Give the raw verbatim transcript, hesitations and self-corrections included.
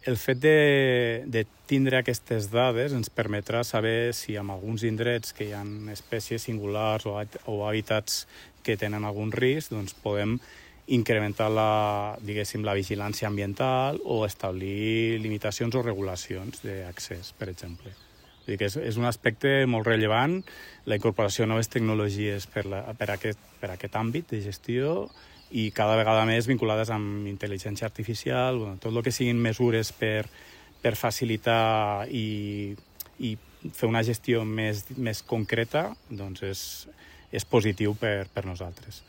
el fet de, de tindre aquestes dades ens permetrà saber si en alguns indrets que hi ha espècies singulars o, o hàbitats que tenen algun risc, doncs podem incrementar la, diguéssim, la vigilància ambiental o establir limitacions o regulacions d'accés, per exemple. Vull dir que és, és un aspecte molt rellevant, la incorporació de noves tecnologies per, la, per, aquest, per aquest àmbit de gestió i cada vegada més vinculades amb intel·ligència artificial, bueno, tot el que siguin mesures per, per facilitar i, i fer una gestió més, més concreta, doncs és, és positiu per, per nosaltres.